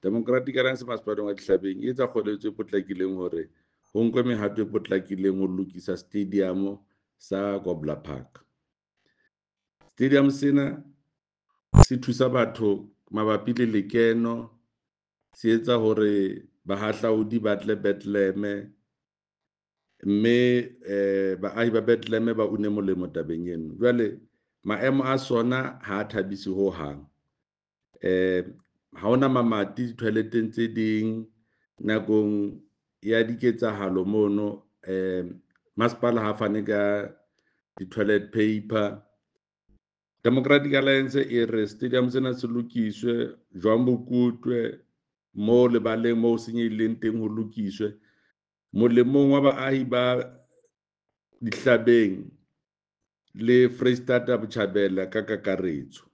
Democratic Alliance Masepaleng wa Dihlabeng e etsa kgoeletso e potlakileng hore ho nkwe mehato e potlakileng ho lokisa stadium sa Kobler Park. Stadium sena se thusa batho mabapi le lekeno, se etsa hore bahahlaudi ba tle Bethlehem, mme baahi ba Bethlehem ba une molemo tabeng eno. Jwale maemo a sona ha a thabise ho hang. Ha hona mamati di-toilet-eng tse ding nakong ya diketsahalo mono. Masepala ha fane ka di-toilet paper. Democratic Alliance e re stadium sena se lokiswe, jwang bo kutwe mo lebaleng mo senyehileng teng ho lokiswe molemong wa baahi ba Dihlabeng le Freistata Botjhabela ka kakaretso.